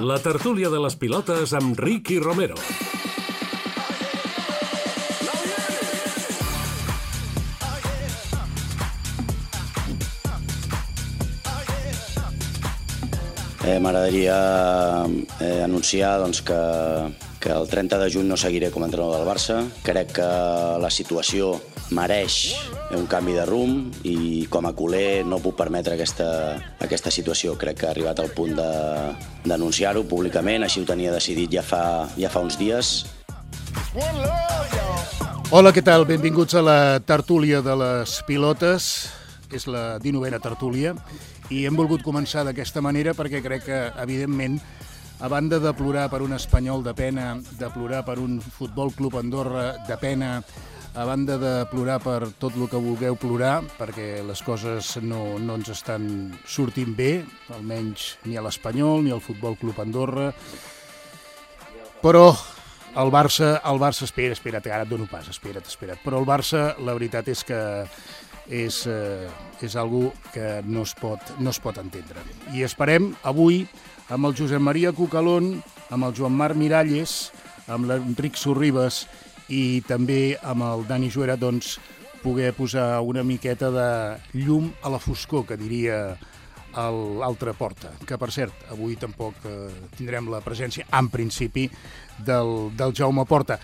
La tertúlia de les pilotes amb Ricky Romero. M'agradaria anunciar que el 30 de juny no seguiré com a entrenador del Barça. Crec que la situació mereix un canvi de rumb i com a culer no puc permetre aquesta situació. Crec que ha arribat al punt d'anunciar-ho públicament, així ho tenia decidit ja fa uns dies. Hola, què tal? Benvinguts a la tertúlia de les pilotes. És la 19a tertúlia i hem volgut començar d'aquesta manera perquè crec que, evidentment, a banda de plorar per un Espanyol de pena, de plorar per un Futbol Club Andorra de pena, a banda de plorar per tot el que vulgueu plorar, perquè les coses no ens estan sortint bé, almenys ni a l'Espanyol ni al Futbol Club Andorra, però el Barça, espera't, ara et dono pas, espera't, però el Barça, la veritat és que és algo que no es pot entendre. I esperem avui amb el Josep Maria Cucalón, amb el Joan Marc Miralles, amb l'Enric Sorribes i també amb el Dani Juera, doncs, poder posar una miqueta de llum a la foscor, que diria l'altra porta, que per cert, avui tampoc tindrem la presència, en principi, del Jaume Porta.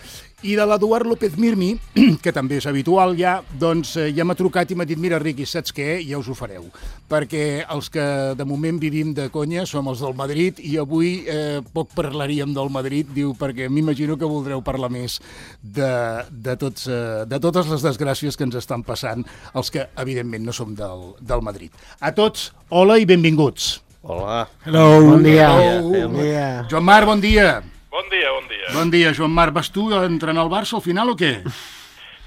I de l'Eduard López Mirmi, que també és habitual ja, doncs ja m'ha trucat i m'ha dit: mira, Riqui, saps què? Ja us ho fareu. Perquè els que de moment vivim de conya som els del Madrid i avui poc parlaríem del Madrid, diu, perquè m'imagino que voldreu parlar més de totes les desgràcies que ens estan passant els que, evidentment, no som del Madrid. A tots, hola i benvinguts. Hola. Hello. Bon dia. Bon dia. Joan Marc, bon dia. Bon dia. Bon dia, Joan Marc. Vas tu a entrenar al Barça al final o què?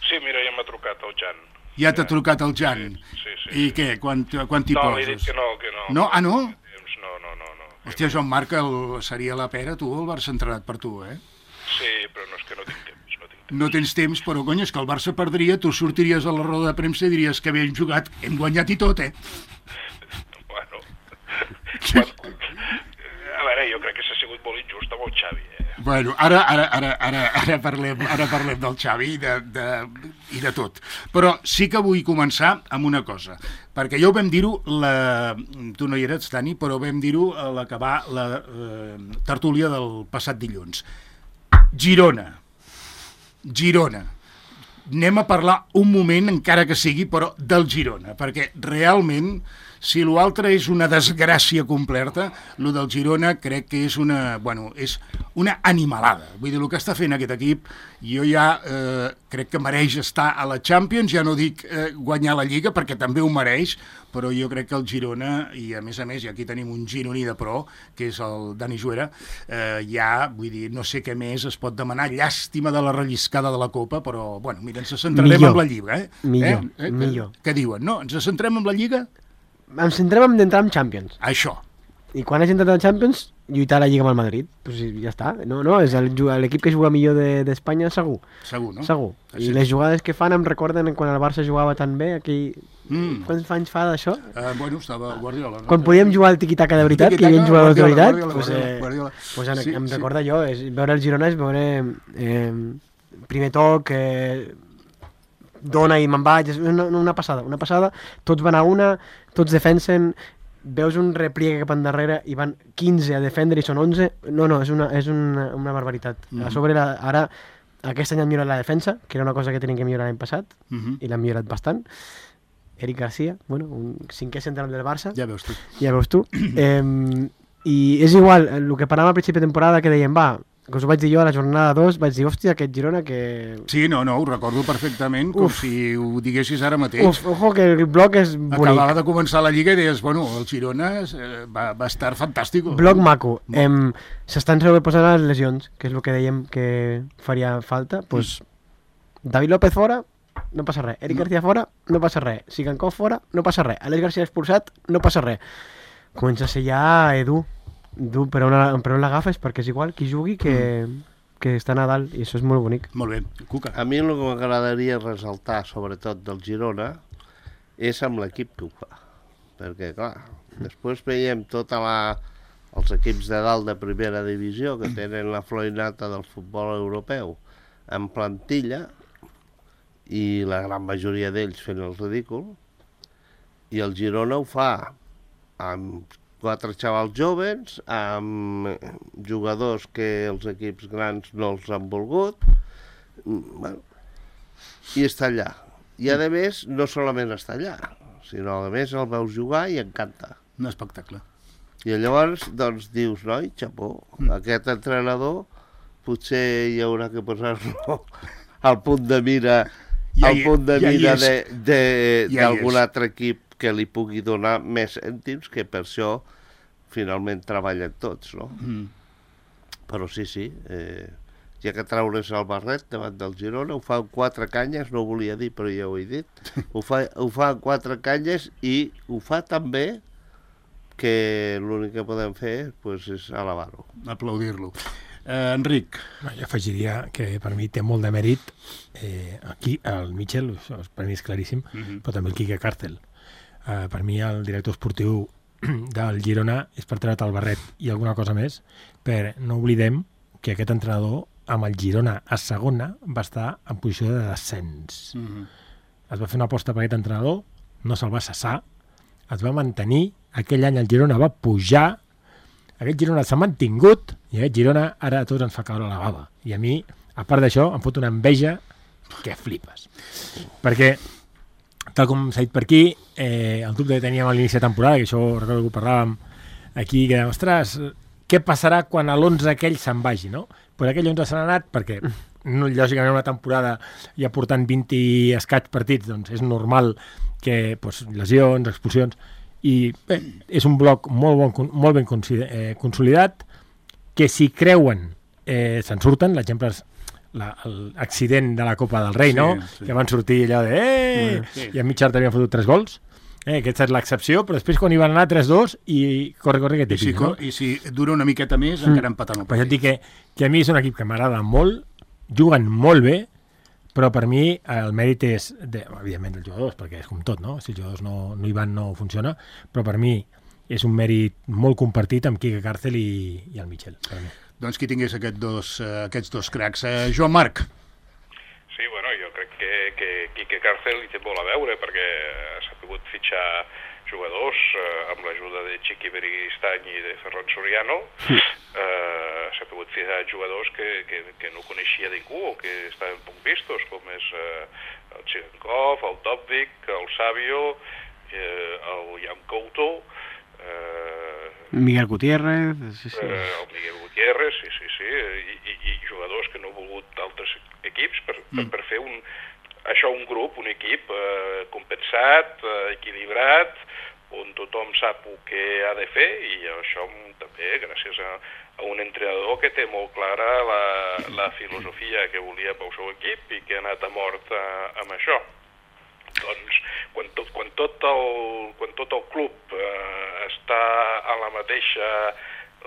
Sí, mira, ja m'ha trucat el Jan. Ja t'ha trucat el Jan? Sí. I què? Quan t'hi poses? No, li he dit que no. No? Ah, no? No. Hòstia, Joan Marc, seria la pera, tu, el Barça entrenat per tu, eh? Sí, però no és que no tinc temps. No tens temps, però, cony, és que el Barça perdria, tu sortiries a la roda de premsa i diries que bé hem jugat, hem guanyat i tot, eh? Bueno, a veure, jo crec que s'ha sigut molt injust amb el Xavi, eh? Bueno, ara parlem del Xavi i de tot. Però sí que vull començar amb una cosa, perquè ja ho vam dir-ho, tu no hi eres, Dani, però vam dir-ho a l'acabar la tertúlia del passat dilluns. Girona. Anem a parlar un moment, encara que sigui, però del Girona, perquè realment, si l'altre és una desgràcia completa, el del Girona crec que és una animalada. Vull dir, el que està fent aquest equip, jo ja crec que mereix estar a la Champions, ja no dic guanyar la Lliga, perquè també ho mereix, però jo crec que el Girona, i a més, i aquí tenim un gironí de pro, que és el Dani Juera, ja, vull dir, no sé què més es pot demanar, llàstima de la relliscada de la Copa, però, bueno, mira, ens centrarem en la Lliga, eh? Millor. Què diuen? No, ens centrem en la Lliga? Ens centrem d'entrar en Champions. Això. I quan hagi entrat en Champions, lluitar a la Lliga amb el Madrid. Pues ja està. No, és l'equip que juga millor d'Espanya, segur. Segur, no? Segur. Així. I les jugades que fan em recorden quan el Barça jugava tan bé, aquí... Quants anys fa d'això? Bueno, estava Guardiola. No? Quan podíem jugar al tiqui-taca de veritat, que hi havia jugadors de veritat, Guardiola. Em recorda jo, veure el Girona és veure primer toc, dona i me'n vaig, és una passada, tots van a una, tots defensen, veus un repliegue cap endarrere i van 15 a defendre i són 11, és una barbaritat. A sobre ara aquest any han millorat la defensa, que era una cosa que tenien que millorar l'any passat, i l'han millorat bastant. Eric Garcia, un 5è central del Barça. Ja veus tu. I és igual, el que parlàvem al principi de temporada, que dèiem, que us ho vaig dir jo a la jornada 2, vaig dir, hòstia, aquest Girona que... Sí, no, ho recordo perfectament, com si ho diguessis ara mateix. Ojo, que el bloc és bonic. Acabava de començar la Lliga i deies, el Girona va estar fantàstic. Bloc maco. S'estan sobreposant les lesions, que és el que dèiem que faria falta. David López fora, no passa res. Eric García fora, no passa res. Sigankov fora, no passa res. Àlex García expulsat, no passa res. Comença a ser ja per on l'agafes, perquè és igual qui jugui que està a dalt, i això és molt bonic. Molt bé, Cuca. A mi el que m'agradaria ressaltar, sobretot del Girona, és amb l'equip que ho fa. Perquè, clar, després veiem tota els equips de dalt de primera divisió, que tenen la florinata del futbol europeu, en plantilla, i la gran majoria d'ells fent el ridícul, i el Girona ho fa amb 4 xavals joves, amb jugadors que els equips grans no els han volgut, bueno, i està allà. I a més, no solament està allà, sinó a més el veus jugar i encanta. Un espectacle. I llavors, doncs, dius, noi, xapó, aquest entrenador potser hi haurà que posar-lo al punt de mira, d'algun altre equip que li pugui donar més cèntims, que per això finalment treballen tots, no? Però sí, hi ha que treure's el barret davant del Girona, ho fa amb 4 canyes, no ho volia dir però ja ho he dit, ho fa amb 4 canyes i ho fa també que l'únic que podem fer pues, és alabar-ho. Aplaudir-lo. Enric. Jo afegiria que per mi té molt de mèrit aquí el Michel, això per mi és claríssim, però també el Quique Cárcel. Per mi el director esportiu del Girona és per treure't el barret i alguna cosa més, però no oblidem que aquest entrenador amb el Girona a segona va estar en posició de descens. Es va fer una aposta per aquest entrenador, no se'l va cessar, es va mantenir, aquell any el Girona va pujar, aquest Girona s'ha mantingut i aquest Girona ara a tots ens fa caure la bava. I a mi, a part d'això, em fot una enveja que flipes. Perquè, tal com s'ha dit per aquí, el dubte que teníem a l'inici de temporada, que això recordo que ho parlàvem aquí, que ostres, què passarà quan a l'11 aquell se'n vagi, no? Però aquell 11 se n'ha anat perquè, lògicament, una temporada ja portant 20 i escaig partits, doncs és normal que lesions, expulsions, i bé, és un bloc molt ben consolidat, que si creuen se'n surten. L'exemple és l'accident de la Copa del Rei, no? Sí. Que van sortir allò de sí. I a mig havien fotut 3 gols. Aquesta és l'excepció, però després quan hi van anar 3-2 i corre que t'hi no? I si dura una miqueta més, encara empatant el partit. Però ja et dic que a mi és un equip que m'agrada molt, juguen molt bé, però per mi el mèrit és, evidentment, dels jugadors, perquè és com tot, no? Si els jugadors no hi van, no funciona, però per mi és un mèrit molt compartit amb Quique Cárcel i el Michel. Doncs qui tingués aquests dos cracs. Joan Marc. Sí, bueno, jo crec que Quique Cárcel hi té molt a veure, perquè s'ha pogut fitxar jugadors amb l'ajuda de Chiqui Beristany i de Ferran Soriano. S'ha pogut ficar jugadors que no coneixia ningú o que estaven poc vistos, com és el Chigankov, el Dobvik, el Savio, el Jan Couto, Miguel Gutiérrez, el Miguel Gutiérrez, sí, i jugadors que no han volgut d'altres equips per fer un grup, un equip compensat, equilibrat, on tothom sap el que ha de fer, i això també gràcies a un entrenador que té molt clara la filosofia que volia pel seu equip i que ha anat a mort amb això. Doncs quan tot el club està en la mateixa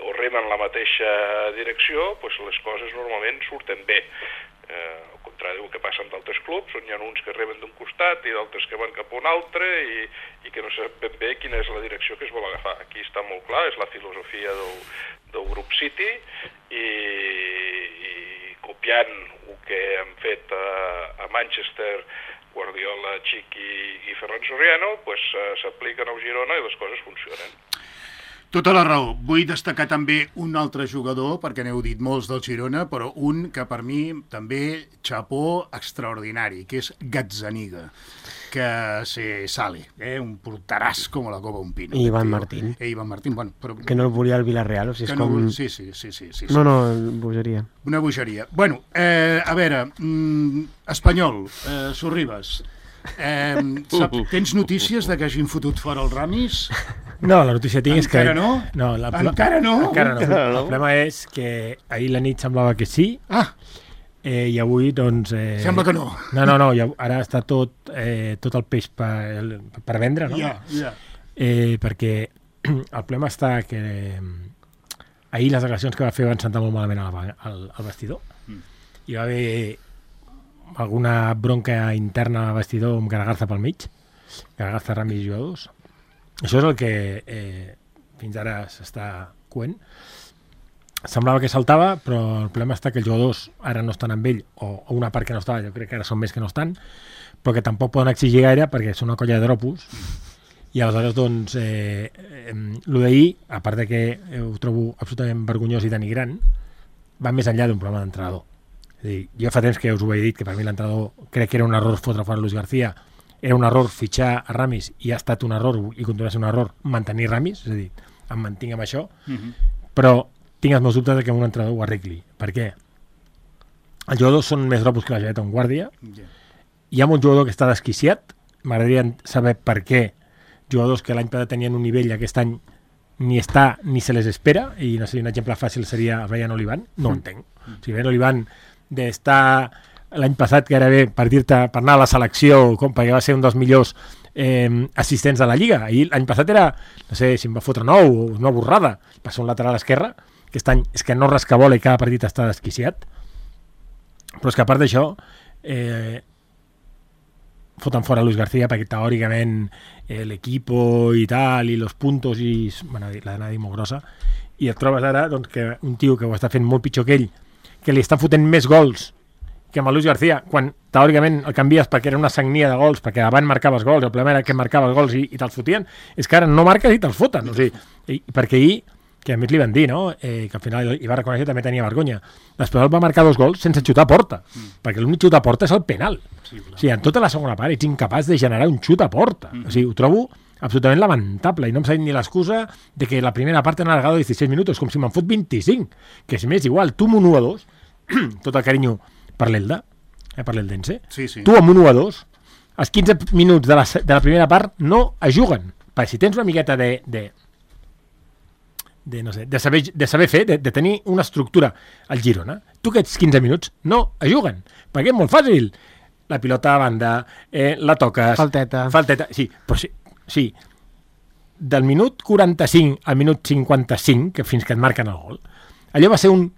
o rema en la mateixa direcció, doncs les coses normalment surten bé. Al contrari del que passa amb d'altres clubs, on hi ha uns que remen d'un costat i d'altres que van cap a un altre i que no sap ben bé quina és la direcció que es vol agafar. Aquí està molt clar, és la filosofia del grup City i copiant el que han fet a Manchester Guardiola, Chiqui i Ferran Soriano, s'apliquen al Girona i les coses funcionen. Tota la raó. Vull destacar també un altre jugador, perquè n'heu dit molts del Girona, però un que per mi també xapó extraordinari, que és Gazzaniga, que se sale, un porteràs com la copa un pino. I Iván Martín. Iván Martín, bueno, però... Que no el volia el Villarreal, o sigui, és com... Sí. No, bogeria. Una bogeria. Bueno, a veure, Espanyol, Sorribas, tens notícies de que hagin fotut fora els Ramis? No, la notícia tinc és que... Encara no? Encara no? Encara no. El problema és que ahir la nit semblava que sí, i avui, doncs... Sembla que no. No, ara està tot el peix per vendre, no? Ja. Perquè el problema està que ahir les declaracions que va fer van sentar molt malament al vestidor. Hi va haver alguna bronca interna al vestidor amb Garagarza pel mig, Garagarza, Ramis i jugadors. Això és el que fins ara s'està coent. Semblava que saltava, però el problema està que els jugadors ara no estan amb ell, o una part que no estava, jo crec que ara són més que no estan, però que tampoc poden exigir gaire perquè són una colla de dropos. I aleshores, doncs, el d'ahir, a part de que ho trobo absolutament vergonyós i denigrant, va més enllà d'un problema d'entrenador. És a dir, jo fa temps que us ho he dit, que per mi l'entrenador crec que era un error fotre fora Luis García, era un error fitxar a Ramis i ha estat un error, i continua sent un error, mantenir Ramis, és a dir, em mantinc amb això, però tinc els meus dubtes de que un entrenador ho arregli. Per què? Els jugadors són més dropos que la geleta on guàrdia. Hi ha un jugador que està desquiciat. M'agradaria saber per què jugadors que l'any passat tenien un nivell aquest any ni està ni se les espera, i no sé, un exemple fàcil seria el Brian Olivan. No ho entenc. O sigui, Brian Olivan d'estar l'any passat gairebé per dir-te, per anar a la selecció, com perquè va ser un dels millors assistents de la Lliga. I l'any passat era, no sé si em va fotre una borrada. Va ser un lateral esquerre. Aquest any és que no rascabola i cada partit està desquiciat. Però és que a part d'això foten fora Luis García perquè teòricament l'equipo i tal, i los puntos, i bueno, l'ha dit molt grossa, i et trobes ara doncs, que un tio que ho està fent molt pitjor que ell, que li està fotent més gols que amb el Luis García, quan teòricament el canvies perquè era una sagnia de gols, perquè abans marcaves gols, el problema era que marcaves gols i te'ls fotien, és que ara no marques i te'ls foten, o sigui, perquè ahir, que a més li van dir, no? Que al final hi va reconèixer que també tenia vergonya. L'Espanyol va marcar 2 gols sense xutar a porta, perquè l'únic xut a porta és el penal. O sigui, en tota la segona part ets incapaç de generar un xut a porta. O sigui, ho trobo absolutament lamentable, i no em sabem ni l'excusa de que la primera part han alargado 16 minuts, com si me'n fot 25, que és més igual, tu amb un 1-2, tot el carinyo per l'Elda, per l'Eldense, tu amb un 1-2, els 15 minuts de la primera part no es juguen, perquè si tens una miqueta de saber fer, de tenir una estructura al Girona, tu aquests 15 minuts no es juguen, perquè és molt fàcil. La pilota a banda, la toques... Falteta, sí, però sí, del minut 45 al minut 55, que fins que et marquen el gol, allò va ser un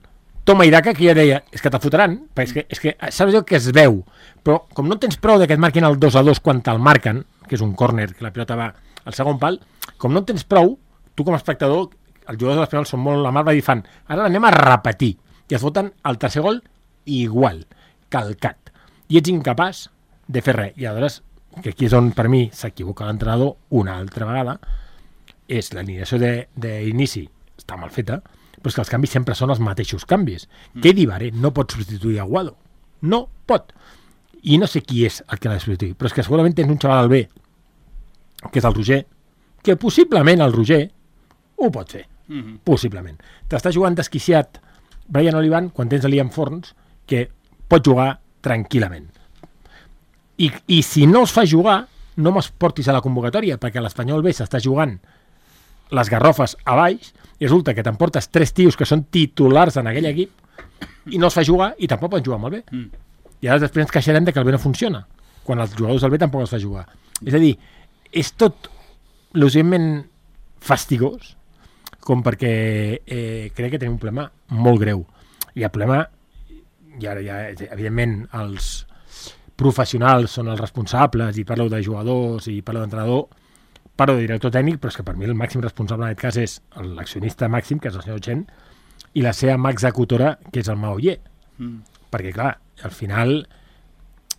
toma i daca que ja deia, és que te fotran, perquè és que saps allò que es veu, però com no tens prou de que et marquin el 2-2 quan te'l marquen, que és un córner, que la pilota va al segon pal, com no tens prou, tu com a espectador, els jugadors de l'Espanyol són molt amables i fan, ara l'anem a repetir, i es foten el tercer gol igual, calcat, i ets incapaç de fer res. I aleshores, que aquí és on per mi s'equivoca l'entrenador una altra vegada, és l'alineació d'inici està mal feta, però és que els canvis sempre són els mateixos canvis. Que Dibaré no pot substituir a Guado, no pot, i no sé qui és el que l'ha de substituir, però és que segurament tens un xaval al B, que és el Roger, que possiblement el Roger ho pot fer, possiblement. T'està jugant desquiciat Brian Olivan quan tens Liam Forns, que pot jugar tranquil·lament. I si no es fa jugar, no me'ls portis a la convocatòria, perquè l'Espanyol B s'està jugant les garrofes a baix, i resulta que t'emportes 3 tios que són titulars en aquell equip i no es fa jugar i tampoc poden jugar amb el B. I ara després ens queixarem de que el B no funciona, quan els jugadors del B tampoc es fa jugar. És a dir, és tot l'urgentment fastigós com perquè crec que tenim un problema molt greu. I el problema, i ara ja, evidentment, els professionals són els responsables, i parlo de jugadors i parlo d'entrenador, parlo de director tècnic, però és que per mi el màxim responsable en aquest cas és l'accionista màxim, que és el senyor Chen, i la seva mà executora, que és el Maoyer. Perquè, clar, al final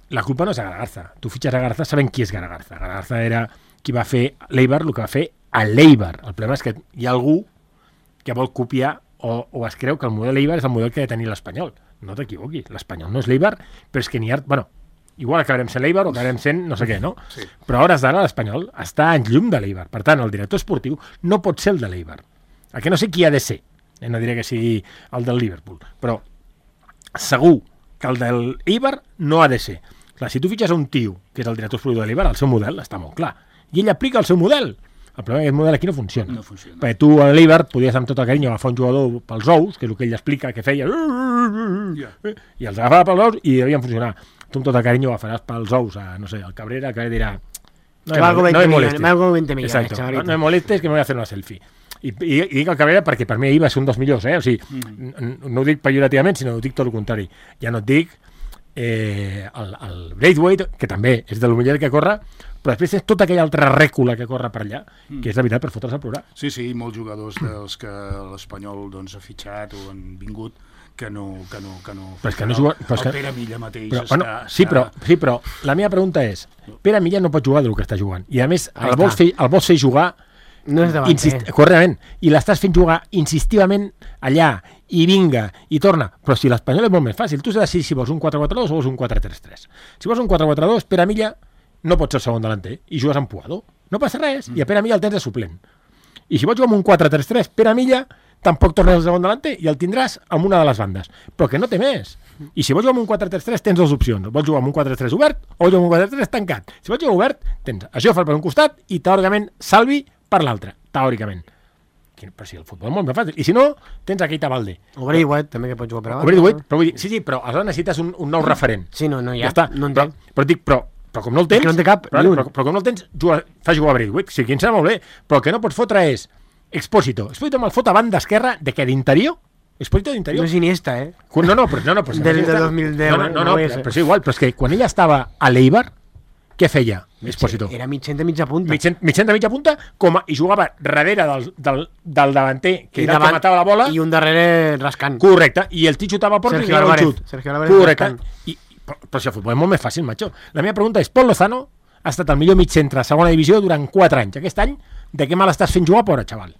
la culpa no és a Garagarza. Tu fitxes a Garagarza sabent qui és Garagarza. Garagarza era qui va fer l'Eibar, el que va fer a l'Eibar. El problema és que hi ha algú que vol copiar o es creu que el model Eibar és el model que ha de tenir l'Espanyol. No t'equivoquis, l'Espanyol no és l'Eibar, però és que n'hi ha... Bueno, igual acabarem sent l'Eibar o acabarem sent no sé què, no? Sí. Però a hores d'ara l'Espanyol està en llum de l'Eibar. Per tant, el director esportiu no pot ser el de l'Eibar. El que no sé qui ha de ser. No diré que sigui el del Liverpool, però segur que el del Eibar no ha de ser. Clar, si tu fitxes un tio que és el director esportiu de l'Eibar, el seu model està molt clar. I ell aplica el seu model. El problema és que aquest model aquí no funciona. No funciona. Perquè tu a l'Eibar podies amb tot el carinyo agafar un jugador pels ous, que és el que ell explica que feia, i els agafava pels ous i devien funcionar. Tu amb tot el carinyo agafaràs pels ous a, no sé, al Cabrera, que dirà no me molestes. No me molestes, que me voy a hacer una selfie. I dic el Cabrera perquè per mi ahir va ser un dels millors, o sigui, no ho dic pejorativament, sinó ho dic tot el contrari. Ja no et dic el Braithwaite, que també és de lo millor que corre, però després tens tota aquella altra rècula que corre per allà, que és la veritat per fotre's a plorar. Sí, molts jugadors dels que l'Espanyol doncs, ha fitxat o han vingut que no... Però és que no juga... El Pere Milla mateix però, està... bueno, sí, però la meva pregunta és, Pere Milla no pot jugar del que està jugant, i a més el vols fer jugar... No és davanter. Correctament, i l'estàs fent jugar insistivament allà, i vinga, i torna. Però si l'Espanyol és molt més fàcil, tu has de decidir si vols un 4-4-2 o vols un 4-3-3. Si vols un 4-4-2, Pere Milla no pot ser el segon delanter, i jugues amb Puado. No passa res, i a Pere Milla el tens de suplent. I si vols jugar amb un 4-3-3, Pere Milla tampoc tornes al segon delanter i el tindràs amb una de les bandes. Però que no té més. I si vols jugar amb un 4-3-3 tens dues opcions. Vols jugar amb un 4-3 obert o jugar amb un 4-3 tancat. Si vols jugar obert, tens a Jofre per un costat i teòricament Salvi per l'altre, teòricament. Però si el futbol és molt més fàcil. I si no, tens a Keita Balde. O Braithwaite, també, que pot jugar per abans. O Braithwaite, però vull dir, sí, però aleshores necessites un nou referent. Sí, no hi ha. Ja està. No en té. Però com no el tens... no en té cap, però com no el tens, fa jugar a Braithwaite. Sí, que em sembla molt bé. Però el que no pots fotre és Expósito. Expósito me'l fot a banda esquerra de què, d'interior? Expósito d'interior? No és Iniesta, No, però del 2010. No, però és igual. Però és que quan ella estava a l'Eibar, què feia Expósito? Era mitja punta. Mitja punta, i jugava darrere del davanter, que era el que matava la bola. I un darrere rascant. Correcte, i el tio xutava a porta i era un xut. Sergio Álvarez correcte. Però si el futbol és molt més fàcil, macho. La meva pregunta és, Pol Lozano ha estat el millor mig centre a segona divisió durant 4 anys. Aquest any, de què mal estàs fent jugar, pobre xaval?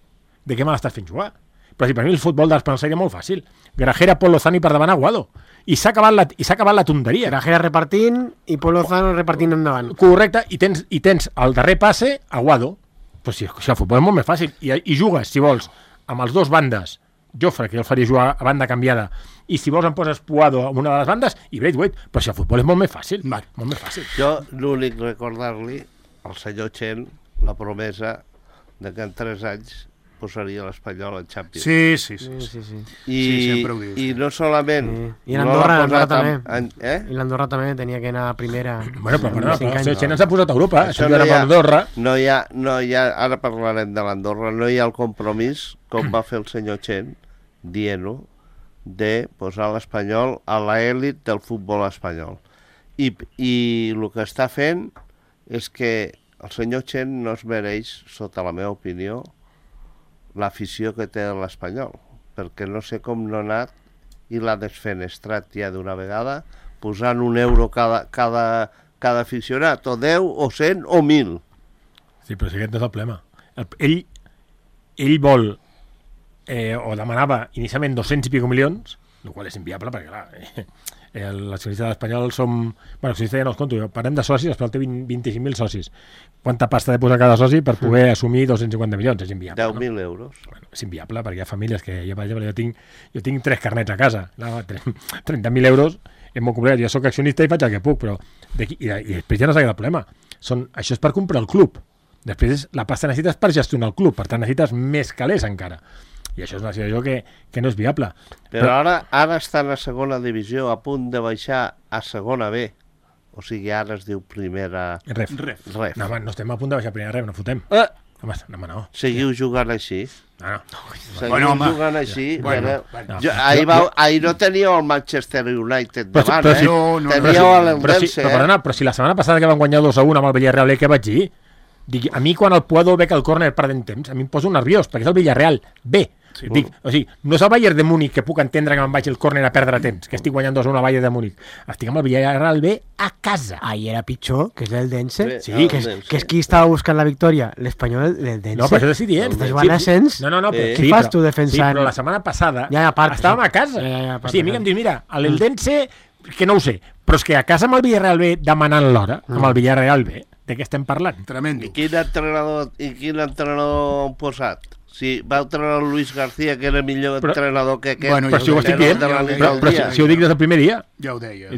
De què mal estàs fent jugar? Però si per mi el futbol d'Espanyol seria molt fàcil. Grajera, Pol Lozano i per davant Aguado. I s'ha acabat la tonteria. Grajera repartint i Pol Lozano repartint endavant. Correcte, i tens el darrer passe Aguado. Però si el futbol és molt més fàcil. I jugues, si vols, amb els dos bandes, Jofre, que jo el faria jugar a banda canviada, i si vols em poses Puado a una de les bandes, i Braithwaite, però si el futbol és molt més fàcil. Molt més fàcil. Jo l'únic recordar-li al senyor Chen la promesa de que en 3 anys posaria l'Espanyol en Champions. Sí. Sempre ho dius. I no solament... I l'Andorra també. I l'Andorra també tenia que anar a primera. Bueno, però el senyor Chen ens ha posat a Europa. Això no hi ha, ara parlarem de l'Andorra, no hi ha el compromís, com va fer el senyor Chen, dient-ho, de posar l'Espanyol a l'elit del futbol espanyol. I el que està fent és que el senyor Chen no es mereix, sota la meva opinió, l'afició que té l'Espanyol, perquè no sé com no ha anat i l'ha desfenestrat ja d'una vegada, posant €1 cada aficionat, o 10, o 100, o 1.000. Sí, però si aquest no és el problema. Ell vol, o demanava inicialment 200 i pico milions, el qual és inviable, perquè clar, l'accionista de l'Espanyol som... Bueno, l'accionista ja no els conto, parlem de socis, l'Espanyol té 25.000 socis. Quanta pasta ha de posar cada soci per poder assumir 250 milions? És inviable. 10.000 euros. Bueno, és inviable, perquè hi ha famílies que... Jo, per exemple, jo tinc 3 carnets a casa. 30.000 euros és molt complicat. Jo soc accionista i faig el que puc, però... I després ja no s'ha quedat el problema. Això és per comprar el club. Després la pasta necessites per gestionar el club. Per tant, necessites més calés encara. I això és una situació que no és viable. Però ara estan a segona divisió, a punt de baixar a segona B. O sigui, ara es diu primera... Ref. No, home, no estem a punt de baixar a primera ref, no fotem. Home, no. Seguiu jugant així. No. Seguiu jugant així. Ahir no teníeu el Manchester United davant, teníeu l'Eldense. Però si la setmana passada que van guanyar 2-1 amb el Villarreal, què vaig dir? Dic, a mi quan el Puado bec el córner perdent temps, a mi em poso nerviós, perquè és el Villarreal B. Sí, dic, o sigui, no és el Bayern de Múnich que puc entendre que me'n vaig el córner a perdre temps, que estic guanyant 2-1 a Bayern de Múnich. Estic amb el Villarreal B a casa. Ahir era pitjor, que és l'Eldense, que és qui estava buscant la victòria, l'Espanyol, l'Eldense. No, però això t'estic dient. Estàs jugant a ascens. No, què fas tu defensant? Sí, però la setmana passada estàvem a casa. O sigui, a mi que em dius, mira, l'Eldense, que no ho sé, però és que a casa amb el Villarreal B demanant l'hora, amb el Villarreal B, de què estem parlant? Tremendo. I quin entrenador han posat? Si va entrenar el Luis García, que era millor entrenador que aquest. Bueno, però si ho estic dient, però si ho dic des del primer dia. Ja ho deia.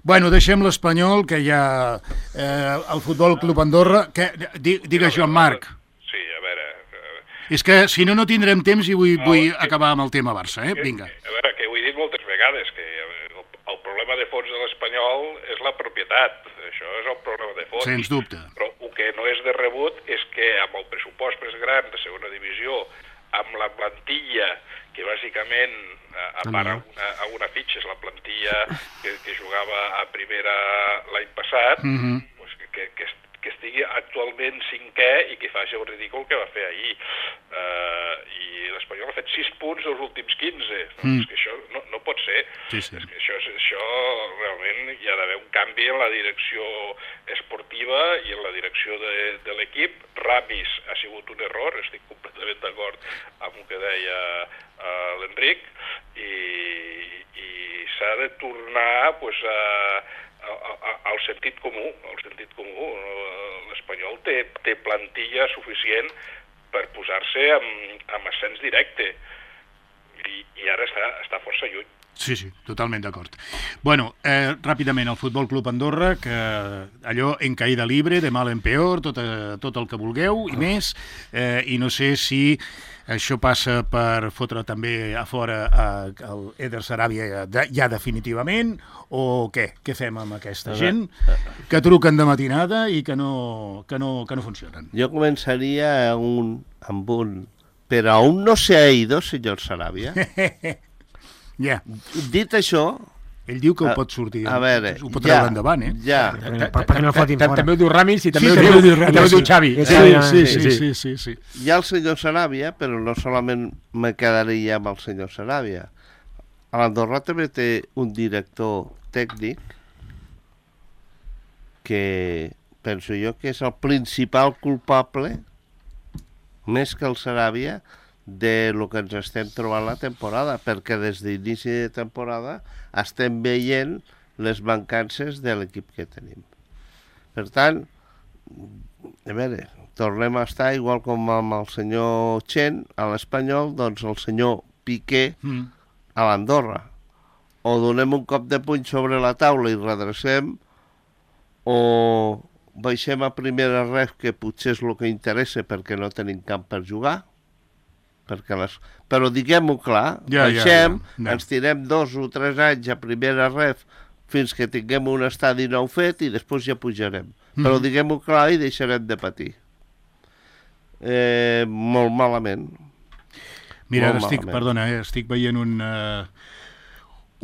Bueno, deixem l'Espanyol, que hi ha el Futbol Club Andorra. Digues, Joan Marc. Sí, a veure... És que, si no tindrem temps i vull acabar amb el tema Barça, Vinga. A veure, que ho he dit moltes vegades, que el problema de fons de l'Espanyol és la propietat. Això és el problema de fons. Sens dubte. Però el que no és de rebut és que amb el pressupost més gran de segona divisió, amb la plantilla, que bàsicament, a part alguna fitxa, és la plantilla que jugava a primera l'any passat, doncs que que estigui actualment cinquè i que faci el ridícul que va fer ahir. I l'Espanyol ha fet 6 punts dels últims 15. És que això no pot ser. Sí. És que això realment hi ha d'haver un canvi en la direcció esportiva i en la direcció de l'equip. Ramis ha sigut un error, estic completament d'acord amb el que deia l'Enric, i s'ha de tornar pues, al sentit comú. L'Espanyol té plantilla suficient per posar-se amb ascens directe i ara està força lluny. Sí, totalment d'acord. Bueno, ràpidament, el Futbol Club Andorra, que allò en caïda libre, de mal en peor, tot el que vulgueu i més, i no sé si això passa per fotre també a fora el Eder Sarabia ja definitivament, o què? Què fem amb aquesta gent que truquen de matinada i que no funcionen? Jo començaria amb un... Però aún no se ha ido, señor Sarabia. Ja. Dit això... Ell diu que ho pot sortir, a veure, ho pot treure endavant, Ja. Perquè no el fotin fora. També ho diu Ramis i també Sí, ho diu Xavi. Sí. Hi ha el senyor Sarabia, però no solament me quedaria amb el senyor Sarabia. A l'Andorra també té un director tècnic que penso jo que és el principal culpable, més que el Sarabia, de lo que ens estem trobant la temporada, perquè des d'inici de temporada estem veient les mancances de l'equip que tenim. Per tant, a veure, tornem a estar igual com amb el senyor Chen a l'Espanyol, doncs el senyor Piqué a l'Andorra. O donem un cop de puny sobre la taula i redrecem, o baixem a primera ref, que potser és el que interessa perquè no tenim camp per jugar, però diguem-ho clar, baixem, ens tirem 2 o 3 anys a primera ref fins que tinguem un estadi nou fet i després ja pujarem. Però diguem-ho clar i deixarem de patir. Molt malament. Mira, estic veient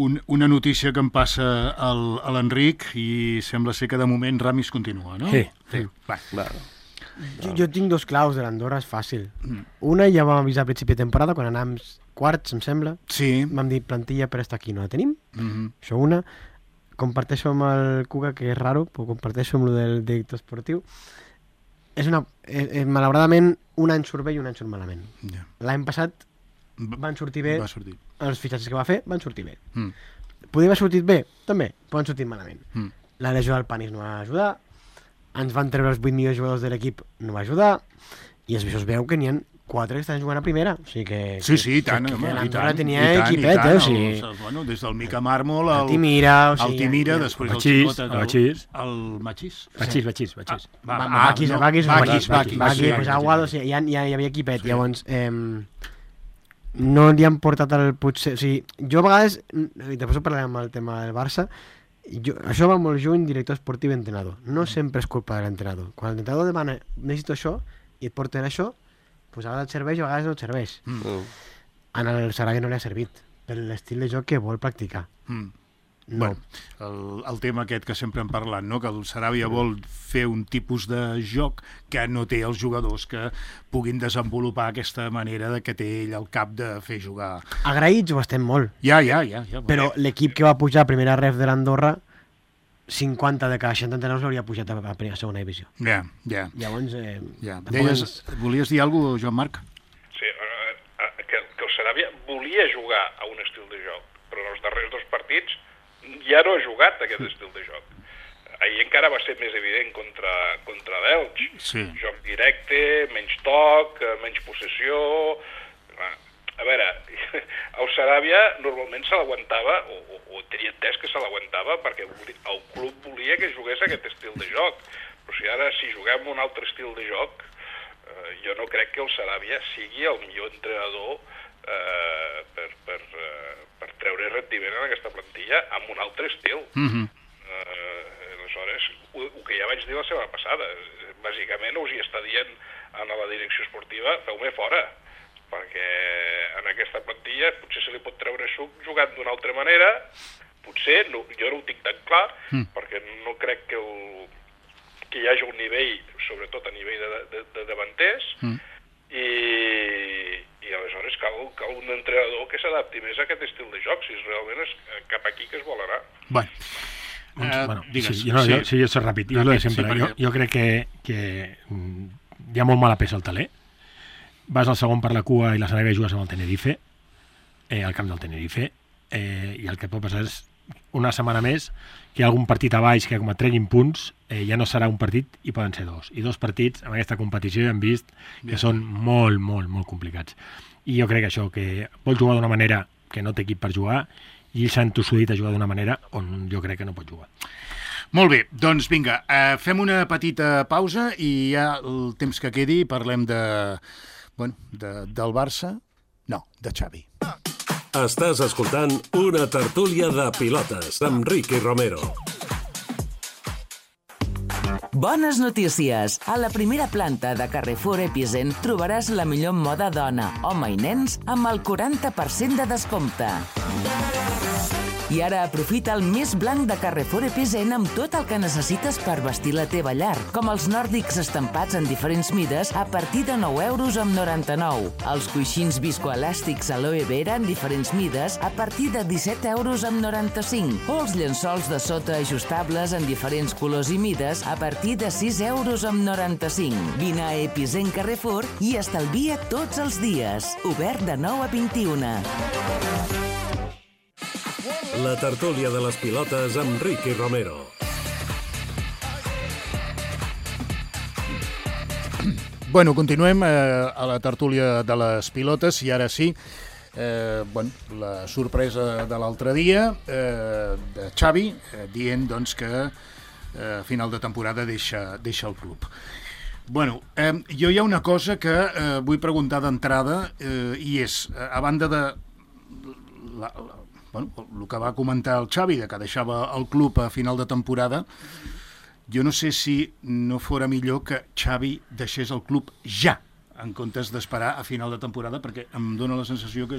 una notícia que em passa a l'Enric i sembla ser que de moment Ramis continua, no? Sí. Va. Jo tinc 2 claus de l'Andorra, és fàcil. Una ja vam avisar a principi de temporada, quan anàvem quarts, em sembla. Sí. Vam dir, plantilla per estar aquí, no la tenim. Això una. Comparteixo amb el Cuca, que és raro, però comparteixo amb el del director esportiu. Malauradament, un any surt bé i un any surt malament. L'any passat van sortir bé, els fitxatges que va fer van sortir bé. Podria haver sortit bé? També, però han sortit malament. La lesió del Panis no va ajudar, ens van treure els 8 millors jugadors de l'equip, no va ajudar, i es veu que n'hi ha 4 que estan jugant a primera. O sigui que... Sí, i tant. L'Andorra tenia equipet, Bueno, des del Mica Mármol, el Timira, després el Machís. El Machís? Machís. Bakis, Aguado, hi havia equipet. Llavors, no li han portat el potser... O sigui, jo a vegades, i després ho parlarem amb el tema del Barça, això va molt juny, director esportiu i entrenador. No sempre és culpa de l'entrenador. Quan l'entrenador demana, necessito això, i et porten això, doncs a vegades et serveix i a vegades no et serveix. En el Sarabia no li ha servit, per l'estil de joc que vol practicar. No. Bueno, el tema aquest que sempre hem parlat, no? Que el Sarabia vol fer un tipus de joc que no té els jugadors que puguin desenvolupar aquesta manera de que té ell al cap de fer jugar. Agraïts ho estem molt. Ja. Però l'equip que va pujar a primera ref de l'Andorra, 50 de cada 60 entrenadors l'hauria pujat a segona divisió. Ja. Llavors... Volies dir alguna cosa, Joan Marc? Sí, que el Sarabia volia jugar a un estil de joc, però en els darrers 2 partits ja no ha jugat aquest estil de joc. Ahir encara va ser més evident contra l'Elx. Sí. Joc directe, menys toc, menys possessió... A veure, el Sarabia normalment se l'aguantava, o tenia entès que se l'aguantava, perquè el club volia que jugués aquest estil de joc. Però si ara, si juguem un altre estil de joc, jo no crec que el Sarabia sigui el millor entrenador per treure rendiment en aquesta plantilla amb un altre estil. Aleshores, el que ja vaig dir la setmana passada, bàsicament us hi està dient a la direcció esportiva, feu-me fora, perquè en aquesta plantilla potser se li pot treure suc jugant d'una altra manera, potser, jo no ho tinc tan clar, perquè no crec que que hi hagi un nivell, sobretot a nivell de davanters, i aleshores cal un entrenador que s'adapti més a aquest estil de joc, si realment és cap aquí que es vol anar. Bueno, digues. Jo soc ràpid. Jo crec que hi ha molt mala peça al taler. Vas al segon per la cua i la setmana que jugues amb el Tenerife, al camp del Tenerife, i el que pot passar és una setmana més que hi ha algun partit a baix que com et treguin punts ja no serà un partit i poden ser dos. I 2 partits en aquesta competició hem vist que són molt, molt, molt complicats. I jo crec que això, que vols jugar d'una manera que no té equip per jugar i ells s'han tossudit a jugar d'una manera on jo crec que no pot jugar. Molt bé, doncs vinga, fem una petita pausa i ja el temps que quedi parlem del Barça, no, de Xavi. Estàs escoltant una tertúlia de pilotes amb Ricky Romero. Bones notícies! A la primera planta de Carrefour Epicent trobaràs la millor moda dona, home i nens amb el 40% de descompte. I ara aprofita el més blanc de Carrefour Epicent amb tot el que necessites per vestir la teva llar, com els nòrdics estampats en diferents mides a partir de 9,99 €, els coixins viscoelàstics aloe vera en diferents mides a partir de 17,95 € o els llençols de sota ajustables en diferents colors i mides a partir de 6,95 €. Vine a Epicent Carrefour i estalvia tots els dies. Obert de 9 a 21. La tertúlia de les pilotes amb Ricky Romero. Bueno, continuem a la tertúlia de les pilotes i ara sí, la sorpresa de l'altre dia de Xavi dient doncs, que a final de temporada deixa el club. Bueno, jo hi ha una cosa que vull preguntar d'entrada i és, a banda de el que va comentar el Xavi, de que deixava el club a final de temporada, jo no sé si no fora millor que Xavi deixés el club ja, en comptes d'esperar a final de temporada, perquè em dóna la sensació que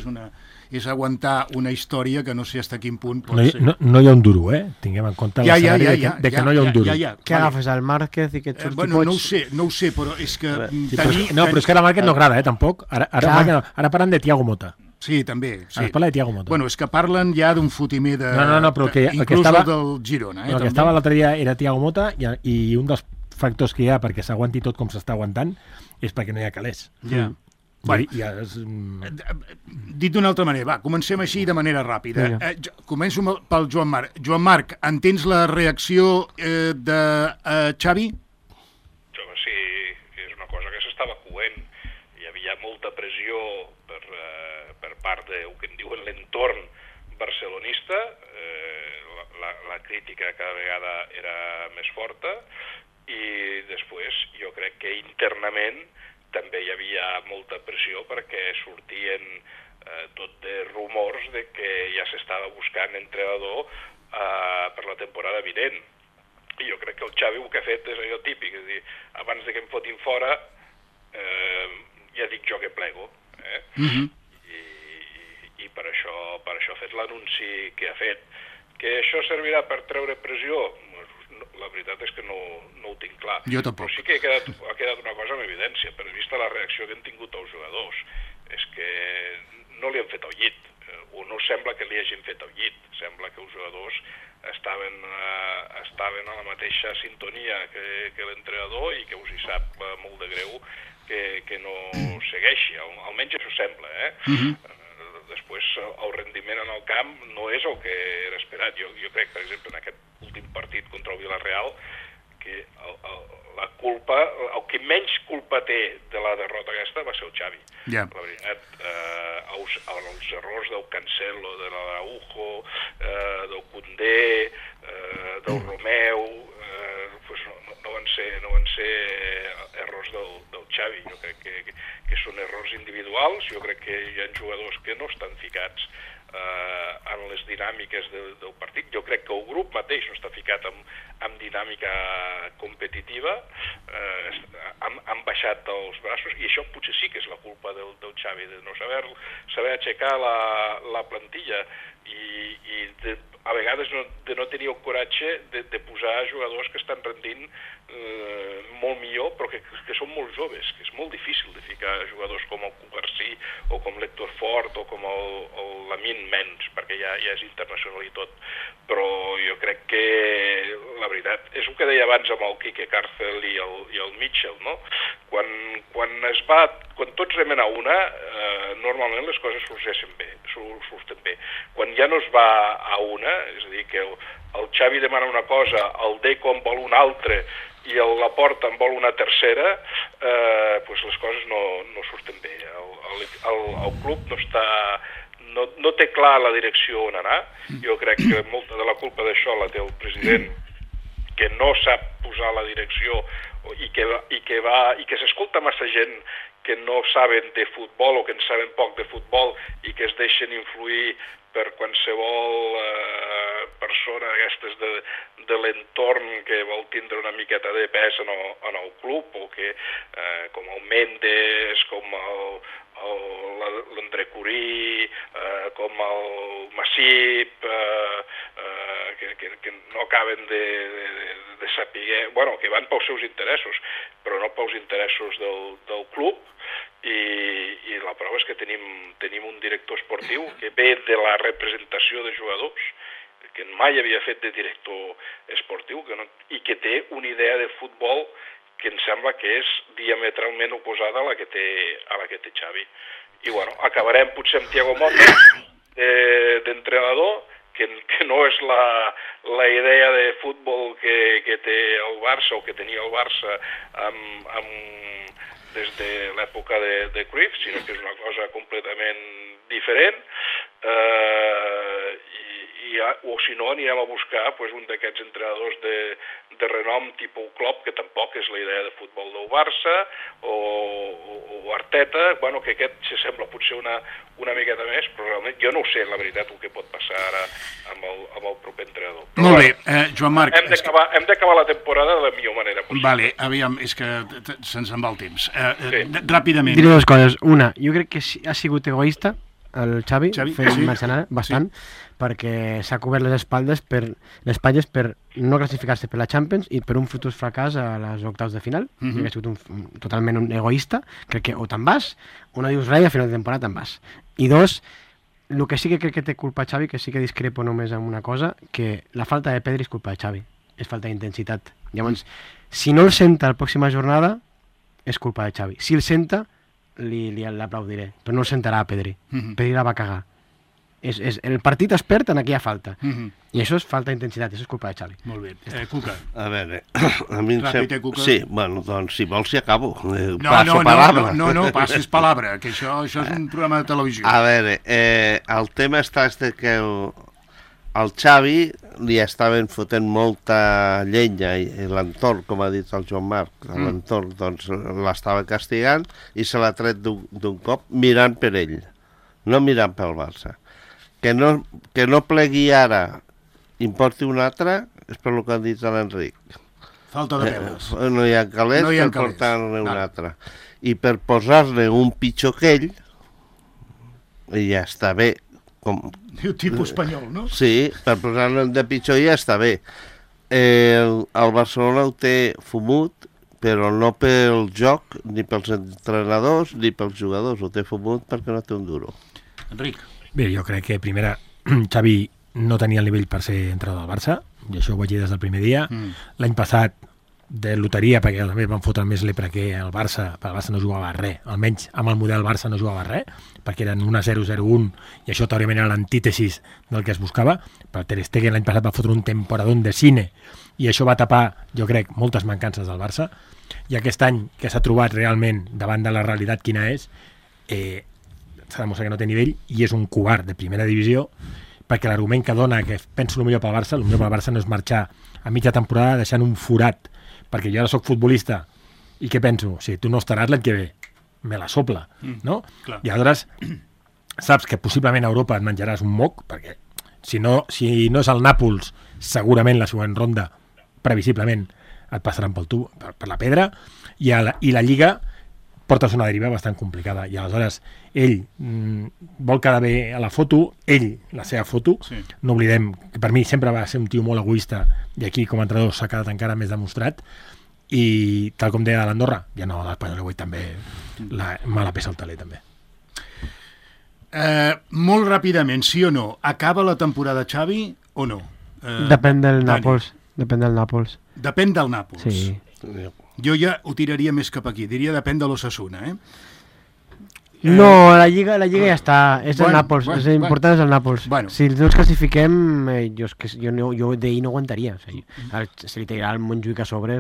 és aguantar una història que no sé fins a quin punt pot ser. No hi ha un duro, Tinguem en compte l'escenari de que no hi ha un duro. Què agafes, el Márquez i que et surti Bueno, no ho sé, però és que... No, però és que ara Márquez no agrada, tampoc. Ara parlen de Thiago Mota. Sí, també. Sí. Ara parla de Thiago Mota. Bueno, és que parlen ja d'un fotimer de... No, però inclús el del Girona. El que estava l'altre dia era Thiago Mota i un dels factors que hi ha perquè s'aguanti tot com s'està aguantant és perquè no hi ha calés. Ja. Dit d'una altra manera, comencem així de manera ràpida. Començo pel Joan Marc. Joan Marc, entens la reacció de Xavi? Sí, és una cosa que s'estava coent. Hi havia molta pressió per part del que en diuen l'entorn barcelonista. La crítica cada vegada era més forta i després jo crec que internament també hi havia molta pressió perquè sortien tot de rumors de que ja s'estava buscant entrenador per la temporada vinent. I jo crec que el Xavi el que ha fet és allò típic, és a dir, abans de que em fotin fora ja dic jo que plego. I per això ha fet l'anunci que ha fet. Que això servirà per treure pressió? La veritat és que no ho tinc clar. Jo tampoc. Però sí que ha quedat una cosa en evidència, per vista la reacció que han tingut els jugadors. És que no li han fet el llit, o no sembla que li hagin fet el llit. Sembla que els jugadors estaven a la mateixa sintonia que l'entrenador i que us hi sap molt de greu que no segueixi. Almenys això sembla, Després, el rendiment en el camp no és el que era esperat. Jo crec, per exemple, en aquest últim partit contra el Villarreal, que la culpa, el que menys culpa té de la derrota aquesta va ser el Xavi. La veritat, els errors del Cancelo, de l'Araujo, del Koundé, del Romeu, no van ser errors del Xavi. Jo crec que són errors individuals. Jo crec que hi ha jugadors que no estan ficats en les dinàmiques del partit. Jo crec que el grup mateix no està ficat en dinàmica competitiva, han baixat els braços, i això potser sí que és la culpa del Xavi, de no saber aixecar la plantilla i a vegades de no tenir el coratge de posar jugadors que estan rendint molt millor, però que són molt joves, que és molt difícil de ficar jugadors com el Cubarsí o com l'Héctor Fort o com el Lamine Mens, perquè ja és internacional i tot. Però jo crec que la veritat és el que deia abans amb el Quique Cárcel i el Mitchell, no? Quan tots remen a una, normalment les coses surten bé. Quan ja no es va a una, és a dir, que el Xavi demana una cosa, el Deco en vol una altra i el Laporta en vol una tercera, doncs les coses no surten bé. El club no té clar la direcció on anar. Jo crec que molta de la culpa d'això la té el president, que no sap posar la direcció i que s'escolta massa gent que no saben de futbol o que en saben poc de futbol i que es deixen influir per qualsevol persona d'aquestes de l'entorn que vol tindre una miqueta de pes en el club, o que com el Mendes, com l'André Curí, com el Massip, que no acaben de saber, bueno, que van pels seus interessos, però no pels interessos del club, i la prova és que tenim un director esportiu que ve de la representació de jugadors, que mai havia fet de director esportiu i que té una idea de futbol que em sembla que és diametralment oposada a la que té Xavi. I bueno, acabarem potser amb Thiago Motta d'entrenador, que no és la idea de futbol que té el Barça o que tenia el Barça des de l'època de Cruyff, sinó que és una cosa completament diferent, o si no anirem a buscar un d'aquests entrenadors de renom tipus Klopp, que tampoc és la idea de futbol del Barça, o Arteta, que aquest s'assembla potser una miqueta més, però realment jo no ho sé, la veritat, el que pot passar ara amb el proper entrenador. Molt bé, Joan Marc... Hem d'acabar la temporada de la millor manera possible. Vale, aviam, és que se'ns en va el temps. Ràpidament. Diré dues coses. Una, jo crec que ha sigut egoista el Xavi fent mercenari, bastant, perquè s'ha cobert les espatlles per no classificar-se per la Champions i per un futur fracàs a les octaus de final. Crec que ha sigut totalment un egoista. Crec que o te'n vas, o no dius res i a final de temporada te'n vas. I dos, el que sí que crec que té culpa Xavi, que sí que discrepo només amb una cosa, que la falta de Pedri és culpa de Xavi, és falta d'intensitat. Llavors, si no el senta la pròxima jornada, és culpa de Xavi. Si el senta, l'aplaudiré, però no el sentarà a Pedri. Pedri la va cagar. El partit es perd en aquella falta. I això és falta d'intensitat, això és culpa de Xavi. Molt bé. Cuca. A veure, a mi Cuca. Sí, bueno, doncs si vols hi acabo. No, passis palabra, que això és un programa de televisió. A veure, el tema és que el Xavi li estaven fotent molta llenya i l'entorn, com ha dit el Joan Marc, l'entorn doncs l'estava castigant i se l'ha tret d'un cop mirant per ell, no mirant pel Barça. Que no plegui ara i en porti un altre és per el que han dit a l'Enric. Falta de peles. No hi ha calés per portar-ne un altre. I per posar-ne un pitjor que ell, ja està bé. Diu tipus espanyol, no? Sí, per posar-ne de pitjor ja està bé. El Barcelona ho té fumut, però no pel joc, ni pels entrenadors, ni pels jugadors. Ho té fumut perquè no té un duro. Enric. Bé, jo crec que primera Xavi no tenia el nivell per ser entrenador del Barça, i això ho vaig dir des del primer dia. L'any passat de loteria, perquè també van fotre més lepra que el Barça, perquè el Barça no jugava res, almenys amb el model Barça no jugava res, perquè eren 1-0-0-1, i això teòricament era l'antítesis del que es buscava. Però Ter Stegen l'any passat va fotre un temporadón de cine, i això va tapar, jo crec, moltes mancances del Barça, i aquest any que s'ha trobat realment davant de la realitat quina és, s'ha demostrat que no té nivell, i és un covard de primera divisió, perquè l'argument que dona que penso el millor pel Barça no és marxar a mitja temporada deixant un forat, perquè jo ara soc futbolista i què penso? Si tu no estaràs l'any que ve, me la sopla, no? Clar. I aleshores saps que possiblement a Europa et menjaràs un moc, perquè si no és el Nàpols, segurament la següent ronda, previsiblement, et passaran per la pedra, i la Lliga portes una deriva bastant complicada, i aleshores ell vol quedar bé a la foto, la seva foto, no oblidem que per mi sempre va ser un tio molt egoista, i aquí com a entrenador s'ha quedat encara més demostrat, i tal com deia de l'Andorra, ja no, l'Espanyol avui també mala pesa el taler també. Molt ràpidament, sí o no, acaba la temporada Xavi o no? Depèn del Nàpols. Depèn del Nàpols. Depèn del Nàpols. Sí. Jo ja ho tiraria més cap aquí, diria depèn de l'Osasuna, No, la Lliga ja està, és el Nàpols, és important és el Nàpols. Si no ens classifiquem, jo d'ahir no aguantaria. Si li tirarà el Montjuïc a sobre,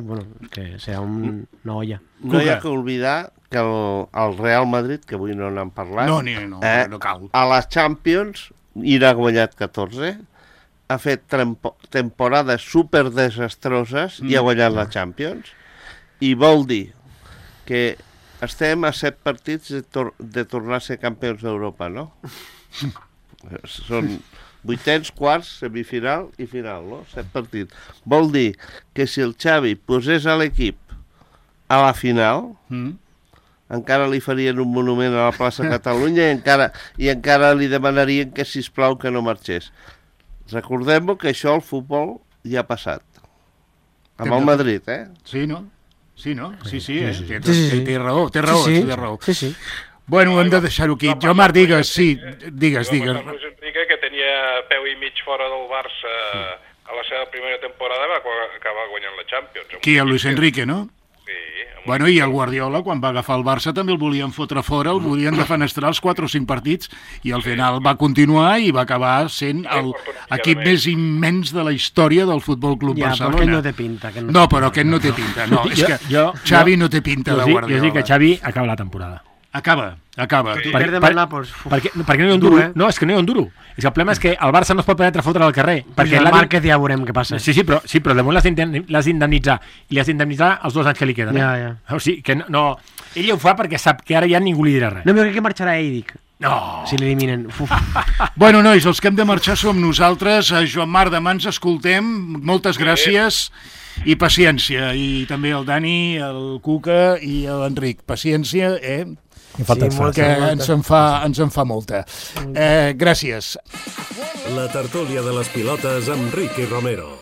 que serà una olla. No hi ha que oblidar que el Real Madrid, que avui no n'han parlat, no cal. A les Champions hi n'ha guanyat 14, ha fet temporades super desastroses i ha guanyat la Champions, i vol dir que estem a 7 partits de tornar a ser campions d'Europa, no? Són 8ens, quarts, semifinal i final, no? 7 partits. Vol dir que si el Xavi posés a l'equip a la final, encara li farien un monument a la plaça Catalunya i encara li demanarien que, sisplau, que no marxés. Recordem-ho que això al futbol ja ha passat. Amb el Madrid, Sí, no? Sí, té raó. Bueno, hem de deixar-ho aquí. Jo, Marc, digues. Luis Enrique, que tenia peu i mig fora del Barça a la seva primera temporada, va acabar guanyant la Champions. Qui, el Luis Enrique, no? Sí. Bueno, i el Guardiola, quan va agafar el Barça, també el volien fotre fora, el volien defenestrar els 4 o 5 partits, i al final va continuar i va acabar sent l'equip més immens de la història del Futbol Club Barcelona. Ja, però aquest no té pinta. No, però aquest no té pinta. No, és que Xavi no té pinta de Guardiola. Jo dic que Xavi acaba la temporada. Acaba. Perquè no hi ha un duro. No, és que no hi ha un duro. És que el problema és que el Barça no es pot permetre fotre al carrer. Perquè el Márquez ja veurem què passa. Sí, però de moment l'has d'indemnitzar. I l'has d'indemnitzar els 2 anys que li queden. Ja. O sigui, que no... Ell ho fa perquè sap que ara ja ningú li dirà res. No, però crec que marxarà ell, dic. No. Si l'eliminen. Bueno, nois, els que hem de marxar som nosaltres. Joan Marc, demà ens escoltem. Moltes gràcies i paciència. I també el Dani, el Cuca i l'Enric. Paciència, que ens en fa molta. Gràcies. La tertúlia de les pilotes amb Ricky Romero.